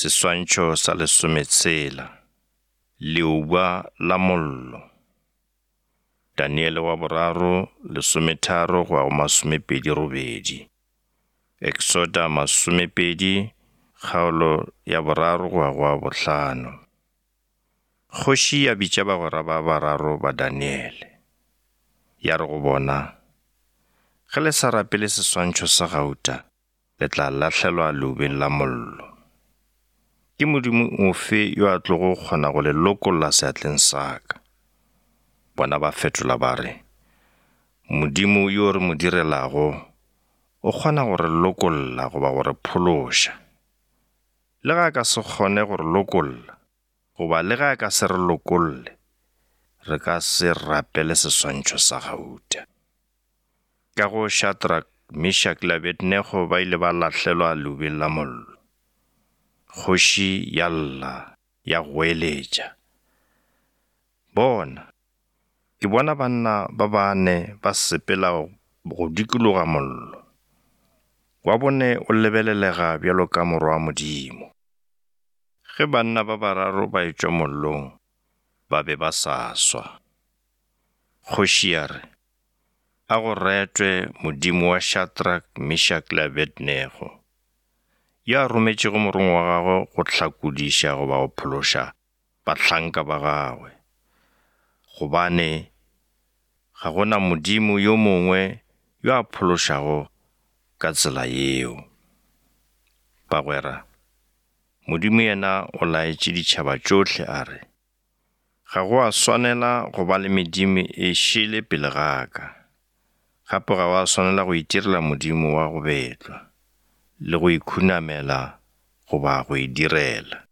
Seswantšho sa lesometshela, Leuba la mollo. Daniele wa boraro, lesometharo go ya go masomepedi robedi. Eksoda masomepedi, kgaolo ya boraro go ya go ya bohlano. Kgoši ya bitša bagwera ba bararo ba Daniele. Ya re go bona, Ge le sa rapele seswantšho sa gauta, le tla lahlelwa leubeng la mollo. Ke modimo ofe yo a tlogo kgona go le lokolla seatleng sa ka? Bona ba fetola ba re, Modimo yo re mo direlago o kgona go re lokolla goba go re phološa. Le ge a ka se kgone go re lokolla, goba le ge a ka se re lokolle, re ka se rapele seswantšho sa gauta. Ka go Shadrach, Meshach le Abednego ba ile ba lahlelwa leubeng la mollo. Kgoši ya lla, ya goeletša, Bona, ke bona banna ba bane ba sepela go dikologa mollo. Wa bone o lebelelega bjalo ka morwa wa Modimo. Ge banna ba bararo ba etšwa mollong, ba be ba sa swa. Kgoši ya re, A go retwe Modimo wa Shadrach, Meshach le Abednego, yo a rometšego morongwa wa gagwe go hlakodiša goba go phološa bahlanka ba gagwe, gobane ga go na Modimo yo mongwe yo a phološago ka tsela yeo. Bagwera, Modimo yena o laetše ditšhaba tšohle a re, Ga go a swanela go ba le medimo e šele pele ga ka. Gape ga wa swanela go itirela modimo wa go betlwa, le go ikhunamela goba go e direla.